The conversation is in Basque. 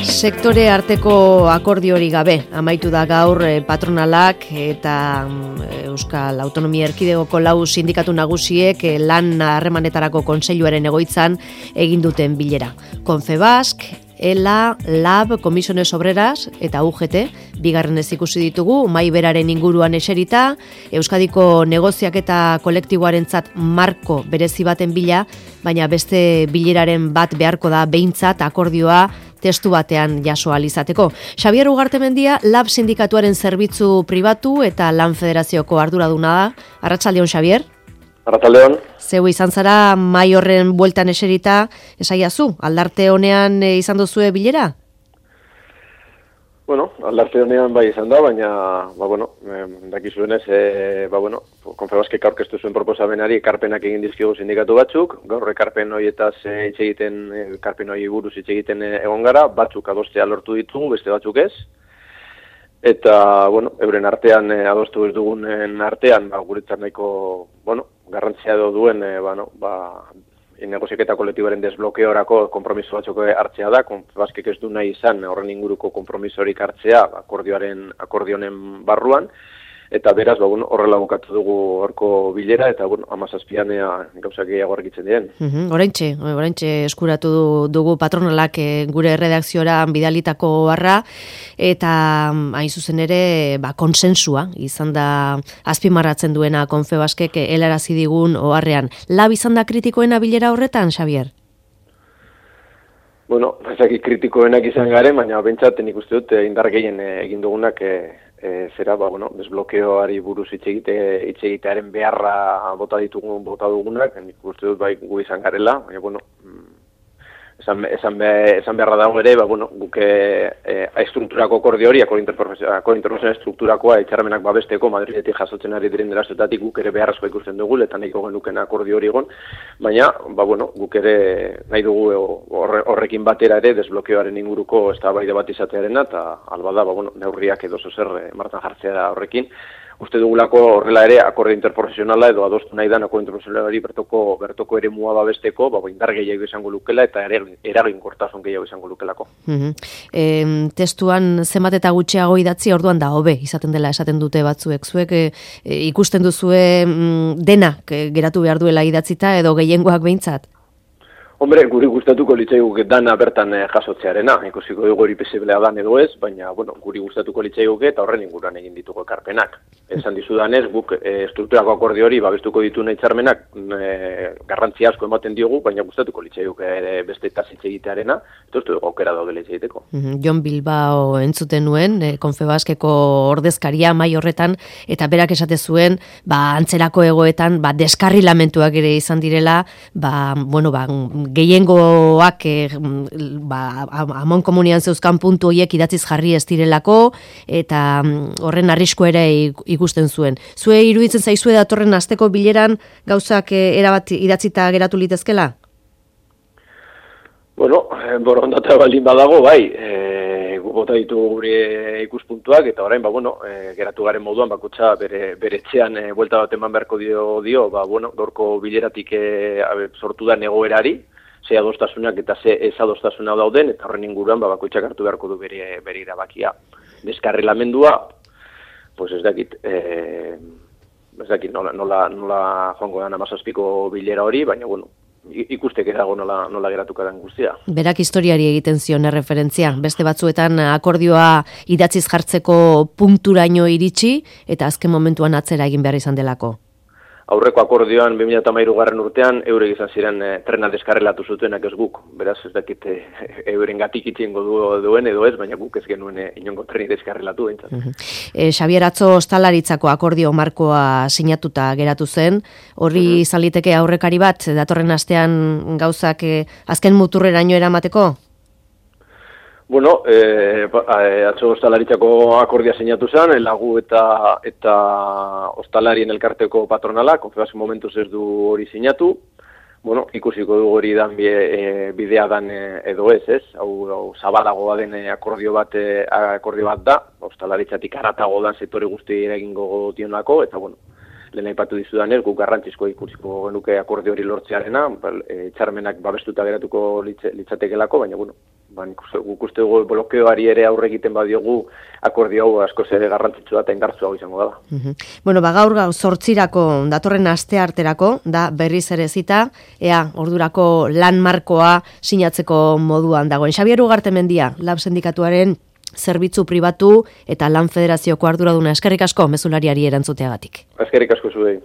Sektore arteko akordio hori gabe, amaitu da gaur patronalak eta Euskal Autonomia Erkidegoko 4 sindikatu nagusiek lan harremanetarako kontseiluaren egoitzan egin duten bilera. Confebask, ELA, LAB, Comisiones Obreras eta UGT, bigarrenez ikusi ditugu, mahai beraren inguruan eserita, Euskadiko negoziaketa kolektiboarentzat marko berezi baten bila, baina beste bileraren bat beharko da behintzat akordioa testu batean jaso ahal izateko. Xabier Ugartemendia, LAB sindikatuaren zerbitzu pribatu eta lan federazioko arduraduna da. Arratsaldeon, Xabier? Arratsaldeon. Zeu izan zara mahai horren bueltan eserita, esaiazu, aldarte honean izan duzue bilera? Bueno, aldarte honean bai izan da, baina, dakizuenez, Confebaskek aurkeztu zuen proposamenari ekarpenak egin dizkigu sindikatu batzuk, gaur ekarpen horietaz hitz egiten, ekarpen hori buruz hitz egiten egon gara, batzuk adostea lortu ditugu, beste batzuk ez. Eta, euren artean adostu ez dugunen artean, guretzat nahiko, garrantzia duen, negoziaketa kolektiboaren desblokeorako konpromiso batzuk hartzea da, Confebaskek ez du nahi izan horren inguruko konpromisorik hartzea akordionen barruan, eta beraz, horrela bukatu dugu horko bilera, eta 17an gauzak gehiago argitzen diren. Oraintxe eskuratu dugu patronalak gure redakziora bidalitako barra, eta hain zuzen ere konsensua izan da azpimarratzen duena Confebaskek helarazi digun oharrean. LAB izan da kritikoena bilera horretan, Xabier? Ezakit kritikoenak izan garen, baina bentsat nik uste dut indar gehien egin dugunak desblokeoari buruz hitz egitearen beharra bota dugunak, nik uste dut bai gu izan garela, baina esan beharra dago ere, guk estrukturako akordio hori, interprofesional estrukturakoa hitzarmenak babesteko Madridetik jasotzen ari diren erazioetatik guk ere beharrezkoa ikusten dugu, eta nahiko genuken akordio hori egon, baina guk ere nahi dugu horrekin batera ere desblokeoaren inguruko eztabaida bat izatearena, eta albada neurriak edo zer martan jartzea horrekin. Uste dugulako horrela ere akordio interprofesionala edo adostu nahi dan akordio interprofesionalari bertoko ere mua babesteko, indar gehiago izango lukela eta eraginkortasun gehiago izango lukelako. Testuan zenbat eta gutxiago idatzi orduan da hobe izaten dela esaten dute batzuek. Zuek ikusten duzue denak geratu behar duela idatzita edo gehiengoak behintzat? Hombre, guri gustatuko litzaiguke dana bertan jasotzearena, ikusiko dugu hori posiblea dan edo ez, baina guri gustatuko litzaiguke eta horren inguruan egin dituko ekarpenak. Esan dizudanez, guk estrukturako akordio hori babestuko ditu hitzarmenak garrantzia asko ematen diogu, baina gustatuko litzaiguke beste hitz egitearena, eta uste dugu aukera daudela hitz egiteko. Jon Bilbao entzuten nuen, Confebaskeko ordezkaria mahai horretan, eta berak esate zuen, antzerako egoetan, deskarrilamentuak ere izan direla, gehiengoak amon komunian zeuzkan puntu horiek idatziz jarri ez direlako, eta horren arrisku ere ikusten zuen. Zue iruditzen zaizue datorren asteko bileran gauzak erabat idatzita geratu litezkela? Borondatea baldin badago, bai, bota ditu gure ikuspuntuak, eta orain, geratu garen moduan, bakutsa bere etxean buelta bat eman beharko dio, gaurko bileratik sortu da egoerari, ze adostasunak eta ze ez adostasuna dauden, eta horren inguruan bakoitzak hartu beharko du bere erabakia. Deskarrilamendua, ez dakit nola joango da 17ko bilera hori, baina ikusteke dago nola geratuko den guztia. Berak historiari egiten zion erreferentzia, beste batzuetan akordioa idatziz jartzeko punturaino iritsi, eta azken momentuan atzera egin behar izan delako. Aurreko akordioan 2013 urtean eurek izan ziren trena deskarrelatu zutenak ez guk. Beraz ez dakit euren gatik itxengo duen edo ez, baina guk ez genuen inongo treni deskarrelatu behintzat. Xabier, atzo ostalaritzako akordio markoa sinatuta geratu zen. Horri izan liteke aurrekari bat datorren astean gauzak azken muturreraino eramateko? Atzo ostalaritzako akordia sinatu zen, lagu eta ostalarien elkarteko patronala, Confebask momentuz ez du hori sinatu. Ikusiko du hori dan bidea dan edo ez. Hau zabalagoa den akordio bat da, ostalaritzatik haratago dan sektore guzti eragingo dionako, eta lehen aipatu dizudanez, guk garrantzizko ikusiko genuke akordio hori lortzearena, hitzarmenak babestuta geratuko litzatekelako, baina guk uste dugu blokeoari ere aurre egiten badiogu, akordio hau askoz ere garrantzitsua eta indartsuago izango da. Bueno, gaur 8 datorren aste arterako, da berriz ere zita, ea ordurako lan markoa sinatzeko moduan dagoen. Xabier Ugartemendia, Lab Sindikatuaren zerbitzu pribatu eta lan federazioko arduraduna, eskerrik asko mezulariari erantzuteagatik. Eskerrik asko zuei.